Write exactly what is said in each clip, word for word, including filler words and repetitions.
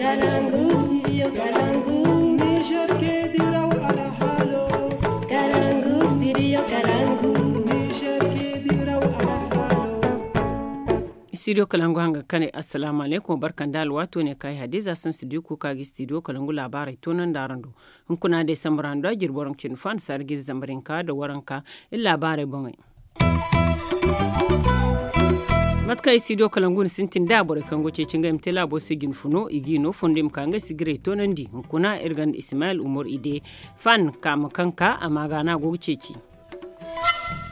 Kalangu, studio Kalangu. Niger ke diraw alhalo. Kalangu, studio Kalangu. Niger ke diraw alhalo. Studio Kalangu hanga kane, assalamu alaikum, barkan da alwato ne kai hadiza sun studio kuka gi studio Kalangu labarai tonan da rando. Hunkuna de sambarando a jirbo ran cin fan sar gir zambarinka da waranka. Illa labarai bongai. Mate kaŋ i si do kala ngu ni sintin da borey kaŋ go ceeci ngey ma te laabo se jine funo i g'i no fondo i ma ka ngey sigirey toonandi hunkuna iri ganda ismail umar ide fan kaama kaŋ ka a ma ga no a go ga ceeci.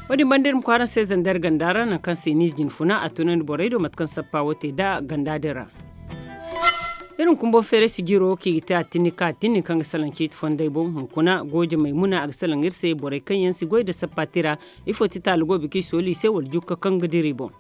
Wo-din banda iri ma kwaara se zandar ganda ra nangu kaŋ se ni jine funa a toonandi borey do mate kaŋ sappa wo te da ganda din ra. Iri ma kumbo feeray sijiro kaŋ i ga te a tinni kaŋ a tinni kaŋ ga salaŋ ciiti fondey boŋ hunkuna gooje maymuna a ga salaŋ iri se borey kaŋ yaŋ si goy nda sappa tira. Ifo ti taali go biki sooli se wala jukka kaŋ ga dira i boŋ?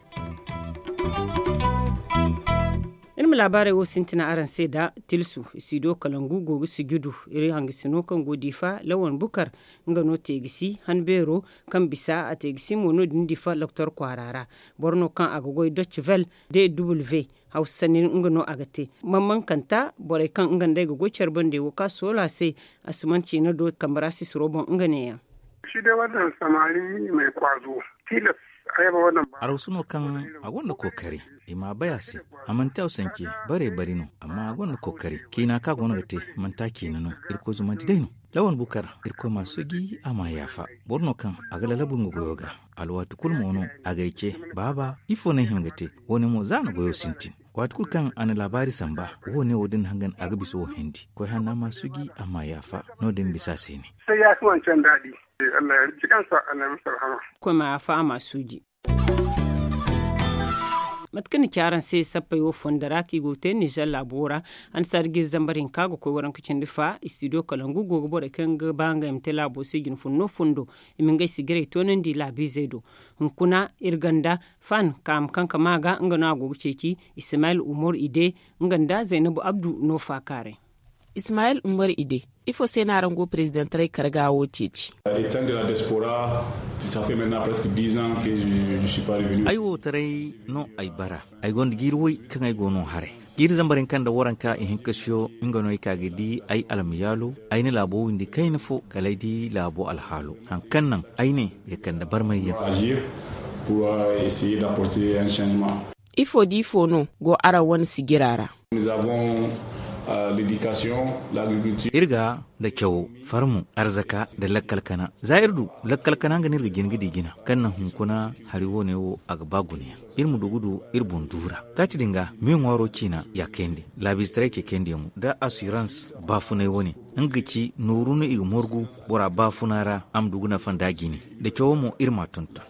Iri ma laabaarey wo sintina araŋ se da tilsu. Studio kalangu go ga sujudu iri hangasino kaŋ go diifa lawan bukar nga no te ga si han beero kaŋ bisa a te ga si mo no- din diifa loktor kwaara ra. Boro no kaŋ a ga goy doc vel de w hawsa sanni nga no a ga te. Mamman kanta borey kaŋ nga nd'ey ga goy care bande wo ka soola se. Asuman ciina do kambe ra sisiro boŋ nga neeyaŋ. Shi day wannan samari mai kwazo tilas a yaba wannan ba. Arausu no kaŋ a gonda kookari i ma a bay a se. A manti a sanke bare bari no amma a gonda kookari ciina kaŋ a goono ga te manti a ciina no. Irkoy zumandi day no. Lawan bukar irkoy ma a suuji a ma a yaafa. Boro no kaŋ a ga lalabu nga goyo ga. Alwaati kulu mo no a g'ay ce baaba ifo no ay hin ga te? Wo- ne mo za a na goyo sintin. Waati kulu kaŋ a na laabaari samba wo- ne wo- din hangan a ga bisa wo- hindi koy hanna ma a suuji a ma a yaafa. No- din bisa a se ne. Sai ya fi wancan daɗi. Allah ya ji kansa, Allah ya masa rahama. Koy ma a yaafa a ma a suuji. Mate kaŋ ni ci araŋ se sappey wo fondo ra kaŋ i go ga te nizer laabo ra. Hansa da ga iri zambar hinka ga koy waranka cindi fa istidiyo kalangu go ga borey kaŋ ga ba ngey ma te laabo se jine funno fondo. I ma ngey sigirey toonandi laabiizey do. Hunkuna iri ganda fan kaama kaŋ ka ma ga nga no a go ga ceeci. Ismail umar ide nga nda zaynabu abdu no faakaaray. Ismail umar ide, ifo se no araŋ go ga perezidantaray karga wo ceeci? Ay wo taray no ay bara. Ay gonda jiiri way kaŋ ay go no haray. Jiiri zambar hinka nda waranka ihinka siyo nga no ay ka ga di ay almayaalo. Ay na laabo windi kayna fo kala ay di laabo alhaalo. Hari kaŋ naŋ ay ne ya kande barmayyaŋ. Ifo da ifo no go araŋ wane sijira ra? Iri ga nda cawo farmo arzaka nda lakkal kana za iri du lakkal kana nga no iri ga jin ga di jina kaŋ naŋ hunkuna hari wo- ne wo a ga ba guna yaŋ. Iri ma du ga du iri boŋ duura kaati din ga me ŋwaaro ciina ya kayandi. Laabiizetaray ce kayandi yaŋo nda asirans baafunay wo- ne nga ga ci nooru no i ga morgu bora baafuna ra a ma du ga nafa nda a jine. Da cawo mo iri ma a tonton.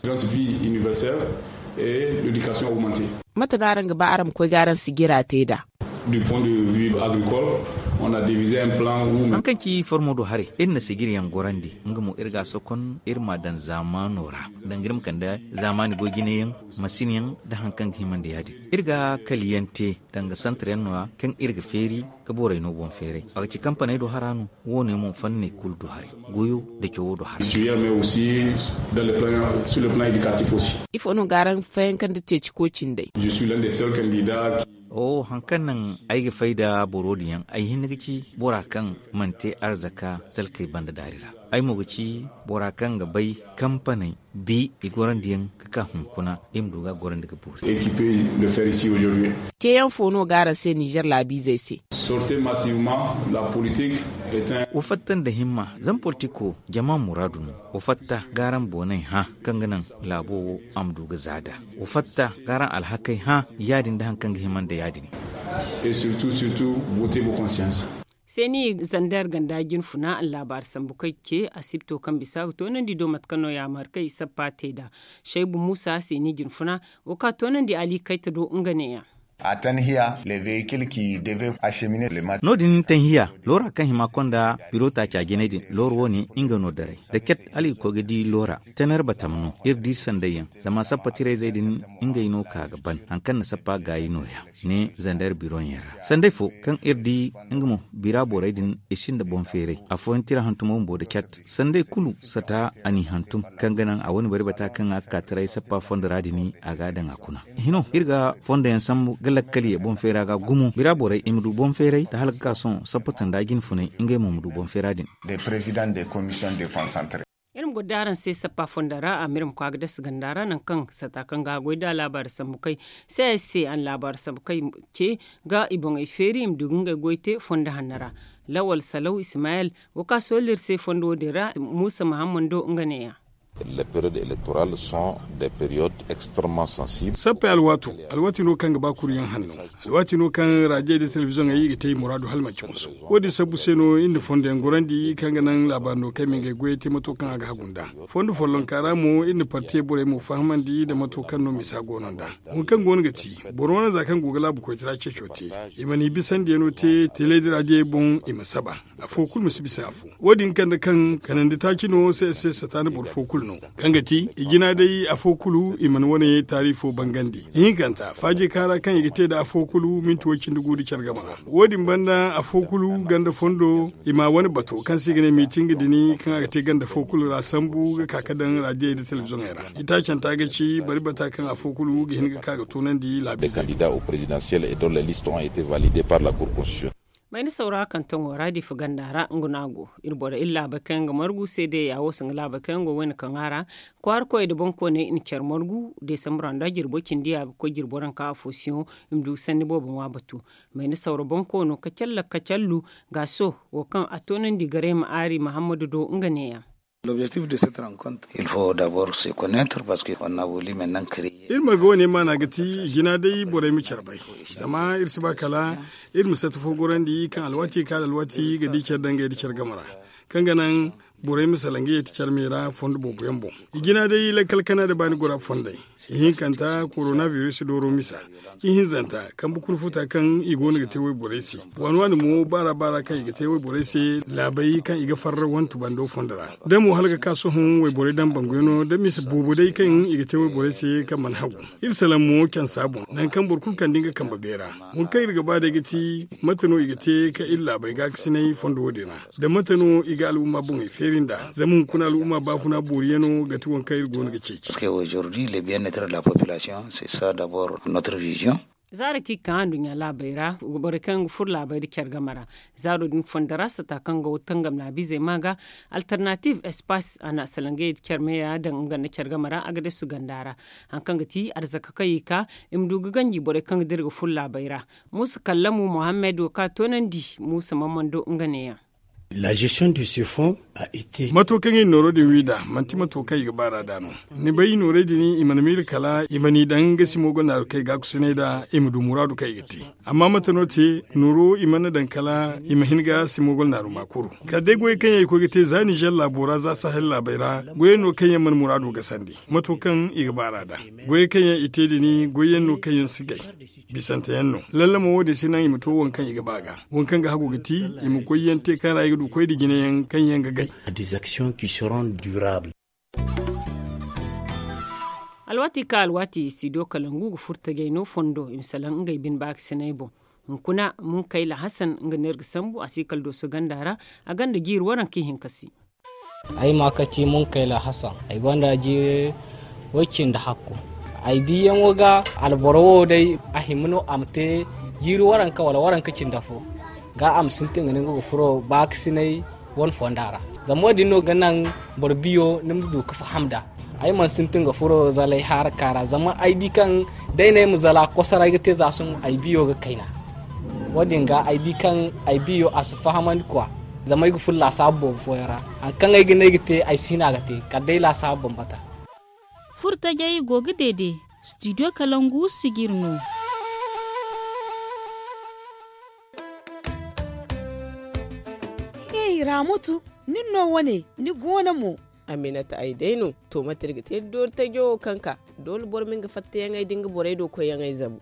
Mate no araŋ ga ba araŋ ma koy ga araŋ sijira te nd'a? Hari kaŋ ci formo do haray iri na sijirayaŋ gorandi. Nga mo iri ga a sokon iri ma a daŋ zaamaano ra danga iri ma kande zaamaani goy jinayaŋ, masinyaŋ nda hari kaŋ ga hima nda ya- din. Iri ga kaliyaŋ te danga santaryaŋ no- ya kaŋ iri ga feeri ga borey no boŋ feeray a ga ci kampaney do hara no. Wo- ne mo fanney kulu do haray goyo nda cawo do haray. Ifo no ga araŋ fayaŋ kaŋ nda ceeci koy cindey? Oho hari kaŋ naŋ ay ga fay nda boro din yaŋ ay hinne ga ci bora kaŋ mana te arzaka talkey banda daari ra. Ay mo ga ci bora kaŋ ga bay kampaney bi i gorandi yaŋ ga ka hunkuna i ma du ga a gorandi ga boori. Teeyaŋ fo no ga araŋ se nizer laabiizey se? Wa fatta nda himma zama politiko jama muraadu no. Wa fatta ga araŋ booney hã kaŋ ga naŋ laabo wo a ma du ga za nd'a. Wa fatta ga araŋ alhakey hã ya- din nda hari kaŋ ga hima nda ya- din. Seeni zander ganda jinfuna allaabaari sambu kaŋ ce asibto kaŋ bisa ga toonandi do mate kaŋ no yaamar kaŋ i sappa te nd'a. Saybu muusa seeni jinfuna wo kaŋ a toonandi ali kayta do nga neeyaŋ. No- din tanhiya loora kaŋ hima konda biro taaca jinay din loora wo- ne nga no daray da ket hala i ga koy ga di loora. Tener batam no iri di sanday yaŋ zama sappa tirayzey din ngey no ka ga ban hari kaŋ na sappa gaayi no- ya. Ne zander biroyaŋ ra sanday fo kaŋ iri di nga mo bira borey din i sinda boŋ feeray afooyaŋ tira hantumo bumbo nda cat sanday kulu sata a n'i hantum kaŋ ga naŋ a wane bari bata kaŋ a ga ka taray sappa fondo ra din a ga a daŋ a kuna. Hino iri ga fondo yaŋ sambu ga lakkal ye boŋ feera ga gumo bira borey i ma du boŋ feeray nda hala ga ka sohõ sappa tanda jinfunay ngey mo ma du boŋ feera din. Iri ma goro da araŋ se sappa fondo ra a ma iri ma koy a ga dasa ganda ra nangu kaŋ sata kaŋ ga a goy da laabaari sambu kay. C s c a na laabaari sambu kay ce ga i boŋey feeri i ma du ga ngey goy te fondo hanno ra. Lawal salaw ismayel wo kaŋ a soolli iri se fondo wo- din ra muusa mahammando nga ne- ya. Sappey alwaato alwaati no kaŋ ga ba kuru yaŋ hanno. Alwaati no kaŋ raadiyo nda telebiziyoŋey i ga te i muraadu hala manci musu. Wo- din sabbu se no iri na fondo yaŋ gorandi kaŋ ga naŋ laabaari no kaŋ ay ma ngey goyey te mato kaŋ a ga hagu nd'a. Fondo follonka ra mo iri na partiye borey mo fahamandi nda mato kaŋ no misa go no nd'a. Wo kaŋ go no ga ti boro wane za kaŋ go ga laabu koytara ceeco te i mana i bisandiyaŋo te teley nda raadiyey boŋ i ma saba. Afo kulu ma si bisa afo. Wo- din kande kaŋ kanandi taaci no se se sata nda boro fo kulu no kaŋ ga ti i jina day afo kulu i mana wane taari fo bangandi. Ihinkanta faaji kaara kaŋ i ga te nda afo kulu minti way cindi gu nda care game ra. Wo- din banda afo kulu ganda fondo i ma wane bato kaŋ se i ga ne miitinga din kaŋ a ga te ganda fo kulu ra sambu ga ka ga daŋ raadiyey nda telebiziyoŋey ra. Itaacanta ga ci bari bata kaŋ afo kulu ga hin ga ka ga toonandi laabiizey. Mayni sawra kantoŋo ra difa ganda ra nga no a go iri borey iri laabey kaŋ yaŋ ga margu se day ya wo se nga laabey kaŋ yaŋ go wayna kaŋ a ra. Kwaara koyey nda boŋkooney i na care margu desambre ra nda jirbo cindi ya ga koy jirbo ra nka afo siyoŋo i ma du ga sanni boobo ŋwa batu. Mayni sawra boŋkoono kacalla kacallu gaaso wo kaŋ a toonandi garay ma aari mahammadu do nga ne- ya. Iri marga wane maana ga ti jina day borey ma care bay. Zama iri si ba kala iri ma sata fo gorandi kaŋ alwaati ga ka da alwaati ga di care dangay nda care game ra kaŋ ga naŋ borey ma salaŋ ga yeeti care me ra fondo boobo yaŋ boŋ. I jina day lakkal kana nda baani gora fondey. Ihinkanta korona biris dooro misa. Ihinzanta kambe kulu futa kaŋ i go no ga te wayborey se. Waani waani mo baara baara kaŋ i ga te wayborey se laabey kaŋ i ga farra wantu bando fondo ra. Da mo hala ga ka sohõ wayborey daŋ banguyaŋo da misa boobo day kaŋ i ga te wayborey se kaŋ mana hagu. Iri salaŋ mo cansa boŋ nangu kaŋ boro kulu kande nga kambe beera. Wo kaŋ iri ga ba day ga ti mate no i ga te ka iri laabey gaakasinay fondo wo- din ra? Da mate no i ga al'umma boŋey feeri nd'a? Zama hunkuna al'umma baafuna booriyaŋo ga ti waŋ kaŋ iri go no ga ceeci. Zaaro kaŋ i ga ka nduɲɲa laabey ra borey kaŋ yaŋ ga furo laabey nda care game ra. Zaaro din fondo ra sata kaŋ go tangam laabiizey ma ga alternative espace a na salangey nda care me ya daŋ nga nda care game ra a ga desu ganda ra. Hari kaŋ ga ti arzaka kaŋ i ga ka i ma du ga ganji borey kaŋ ga dira ga furo laabey ra. Muusa kallamu mohammed wo kaŋ a toonandi muusa mamando nga ne- ya. Mato kaŋ i na nooro din wi nd'a manti mato kaŋ i ga baar'a nd'a no. Ni bay noorey din i mana miila kala i ma n'i daŋ nga simo gonda naaru kaŋ i ga a kusinay nd'a i ma du muraadu kaŋ i ga te. Amma mate no te nooro i mana daŋ kala i ma hin ga simo gonda naaru ma kuru. Kala day goyey kaŋ yaŋ i koy ga te za nizer laabo ra za sahel laabey ra goyey no kaŋ yaŋ mana muraado gasandi mato kaŋ i ga baar'a nd'a. Goyey kaŋ yaŋ i te din goyey yaŋ no kaŋ yaŋ si gay. Bisante yaŋ no lallama wo- din si naŋ i ma to waŋ kaŋ i ga ba ga. Waŋ kaŋ ga hagu ga ti i ma goy yaŋ te kaŋ ra i ga du koy nda jine yaŋ kaŋ yaŋ ga gay. Alwaati kaŋ alwaati studio kalangu ga furo tajay no fondo i ma salaŋ ngey bine baakasinay boŋ. Hunkuna munkayla hasan nga no iri ga sambu a si kala dooso ganda ra. A gonda jiiri waranka ihinka se. Ay ma ka ci munkayla hasan ay gonda jiiri way cindi hakku. Ay diyaŋo ga alboro wo day a hima no a ma te jiiri waranka wala waranka cindi afo ga a ma sintin ga no nga ga furo baakasinay wane fonda ra. Zama wo- din no ga naŋ boro biyo ni ma du ga faham nd'a. Ay mana sintin ga furo zalay haraka ra zama ay di kaŋ day no ay ma zala kosoray ga te za sohõ ay biyo ga kayna. Wo- din ga ay di kaŋ ay biyo a si fahamandi kwa. Zama ay ga furo laasaabu boobo fooyaŋ ra. Hari kaŋ ay ga ne ay ga te ay si hin a ga te kala day laasaabu bambata. Furo tajay go ga deede studio kalangu sijir no. Hey ramutu, nin no wane ni goono mo? Aminata ay day no. To mate iri ga te doori tajo wo kaŋ ka doole boro ma nga fattayaŋey da nga borey do koyyaŋey zabu.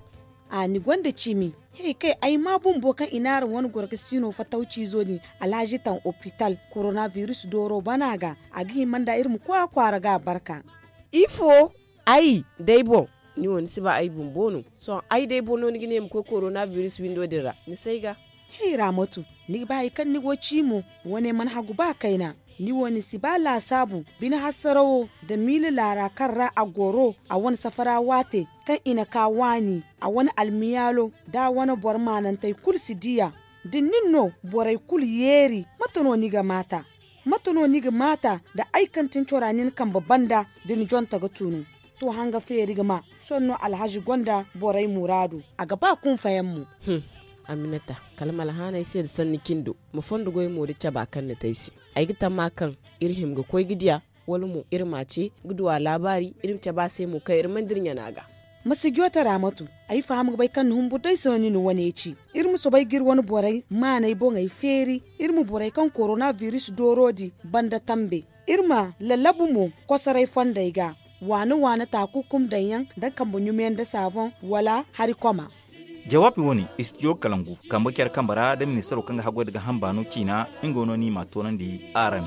A ni gonda cimi. He kay ay ma bumbo kaŋ i naara wane goro ga siino fatawciizo din alhaji taŋ opital koronabiris dooro bana ga. A ga hima nda iri ma koy a kwaara ga a barka. Ifo? Ay day boŋ. Ni wo ni si ba ay bumbo no. Sohõ ay day boro no ni ga ne ma koy korona biris windo din ra ni si ay ga. Hey raamatu, ni ga ba hari kaŋ ni go ci mo? Wane mana hagu ba kayna. Ni wo ni si ba laasaabu bine hassarawo nda miila laara kaŋ ra a goro a wane safara waate kaŋ i na ka waani a wane almiyaalo da a wane boro maanantey kulu si diya. Da nin no borey kulu yeeri mate no ni ga maata? Mate no ni ga maata da ay kaŋ tin cora nin kambe banda da ni jonta ga tunu? To hanga feeri ga ma. Sohõ no alhazi gonda borey muraadu a ga ba kunfayaŋ mo. Aminata, kala ma alhaanay se nda sanni cindo ma fondo goy mo da caba kaŋ ni te ay se. Ay ga tamma kaŋ iri hima ga koy ga diya, wala mo iri ma a ce ga duwa laabaari iri ma cabe a se mo kaŋ iri mana dira ɲana ga. Ma si joote raamatu. Ay faham ga bay kaŋ ni humbur day se no ni na wane ci. Iri ma soobay ga iri wane borey maaney boŋey feeri. Iri ma borey kaŋ korona biris dooro di banda tambe. Iri ma lallabu mo kosoray fondey ga waane waane taakukum daŋ yaŋ nda kambe ɲumiyaŋ nda saaboŋ wala hari koma. Jawaabi wo-ne istidiyo kalangu kambe care kambe ra nda ministaro kaŋ ga haggoy nda ga hamba no ciina. Nga wo no ni m'a toonandi araŋ.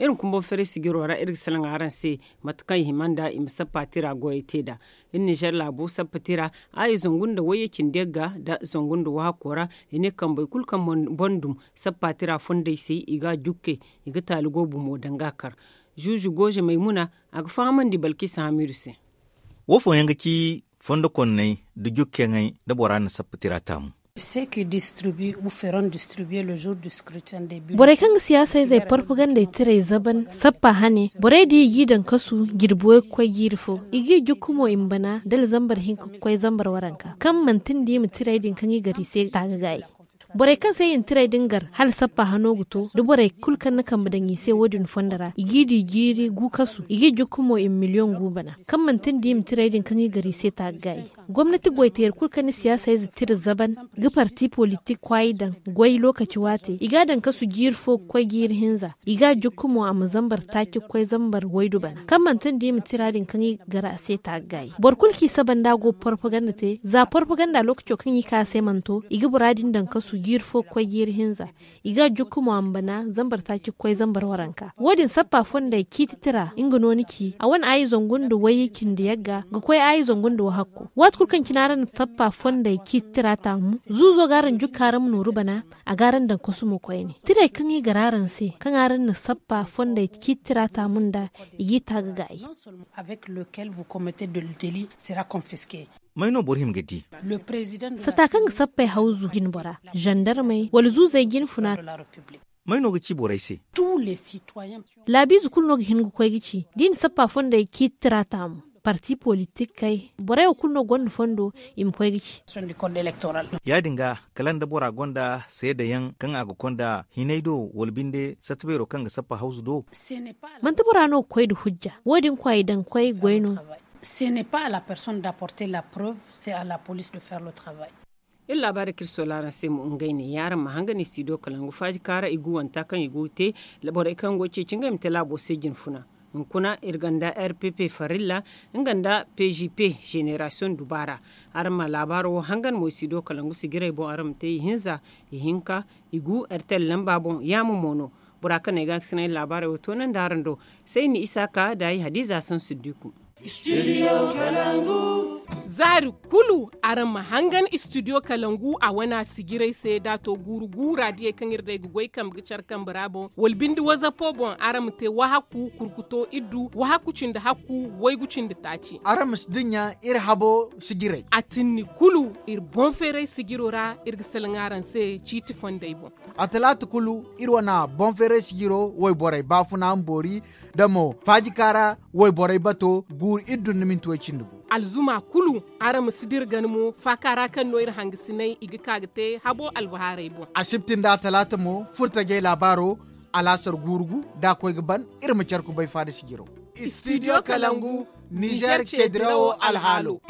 Iri ma kumbo feeray sijiro ra iri ga salaŋ araŋ se mate kaŋ i hima nda i ma sappa tira goyey te nd'a. Iri ninzeer laabo sappa tira aayi zangu nda wayye cindi yagga nda zangu nda wahakko ra. I ne kambey kulu kaŋ boŋ dum sappa tira fondey se i ga a jukke. I ga taali goobu mo daŋ ga a kar. Zuuzu gooze maymuna a ga fahamandi balkisa hamiidu se. Wo fooyaŋ ga ci fondo konney nda jukkeyaŋey nda bora na sappa tira taamu. Borey kaŋ ga siyaasa izey porpagandey tiray zaban sappa hane borey din i g'i daŋ kasu jirbi way ga koy jiiri fo. I g'i jukku mo i ma bana dala zambar hinka ga koy zambar waranka kaŋ manti nda i ma tiray din kaŋ i gar i se taaga gaayi. Borey kaŋ se i na tiray din gar hala sappa hano ga to da borey kulu kaŋ na kambe daŋ i se wo- din fondo ra i g'i di jiiri gu kasu i g'i jukku mo i ma miliyoŋ gu bana kaŋ manti nda i ma tiray din kaŋ i gar i se taaga gaayi. Gomnati goyteeri kulu kaŋ na siyaasa ize tira zaban ga parti politik kwaayi daŋ goy lookaci waate i g'a daŋ kasu jiiri fo ga koy jiiri hinza. I g'a jukku mo a ma zambar taaci ga koy zambar waydu bana kaŋ manti nda i ma tira din kaŋ i gar a se taaga gaayi. Boro kulu kaŋ i saba nda a go ga porpaganda te za porpaganda lookaco kaŋ i ka se mana to i ga bora din daŋ kasu jiiri fo ga koy jiiri hinza. I g'a jukku mo a ma bana zambar taaci ga koy zambar waranka wo- din sappa fondey ciiti tira nga no ni ci a wane aayi zangu nda wayye cindi yagga ga koy aayi zangu nda wahakko. Waati kulu kaŋ cine araŋ na sappa fondey ciiti tira taamu zuuzo ga araŋ jukka araŋ ma nooru bana. A ga araŋ daŋ kasu mo koyne tirey kaŋ i gar araŋ se kaŋ araŋ na sappa fondey ciiti tira taamu nda i g'i taaga gaayi. May no boro hima ga di? Sata kaŋ ga sappey hawzu jinbora zandarmey wala zuuzey jinfuna. May no ga ci borey se? Laabiize kulu no ga hin ga koy ga ci da i na sappa fondey ciiti tira taamu parti politikey borey wo kulu no gonda fondo i ma koy ga ci. Ya-din ga kala nda bora gonda seedayaŋ kaŋ a ga konda hinay do wala binde satta beero kaŋ ga sappa hawzu do? Manti bora no ga koy nda hujja wo- din kwaay daŋ koy goy no. Ce n'est pas à la personne d'apporter la preuve, c'est à la police de faire le travail. Iri laabaari kaŋ iri sola araŋ se mo ngey ne yaŋ araŋ ma hangan istidiyo kalangu faaji kaara i guwanta kaŋ i go ga te borey kaŋ go ga ceeci ngey ma te laabo se jinfuna. Hunkuna iri gonda rpp farilla nga nda pgp generasiyoŋ dubaara. Araŋ ma laabaaro wo hangan mo istidiyo kalangu sijirey boŋ araŋ ma te ihinza, ihinka, igu rtl lamba boŋ yaama mo no. Bora kaŋ no ay ga a ga sinay laabaarey wo toonandi araŋ do. Sayni isaaka da ay hadiza sansiddiku. Zaari kulu araŋ ma hangan istidiyo kalangu a wane a sijirey se da a to guuru guura diyey kaŋ iri day ga goy kambe ga care kambe ra boŋ wala binde wazapo boŋ araŋ ma te wahakku kurkuto iddu wahakku cindi hakku waygu cindi taaci. Araŋ ma si dinya iri habo sijirey. A tinni kulu iri boŋ feeray sijiro ra iri ga salaŋ araŋ se ciiti fondey boŋ. A talaata kulu iri wane boŋ feeray sijiro wayborey baafuna ma boori da mo faajikaara wayborey bato guuru iri dunna minti way cindi gu. Alzuma kulu araŋ ma si dira gana mo faaka ra kaŋ no iri hangasinay i ga ka ga te habo albahaarey boŋ. Asibti nda atalaata mo furtajey laabaaro alaasar guuru gu da a koy ga ban iri ma care kubay faada sijiro. Istidiyo kalangu nizer ceedirawo alhaalo.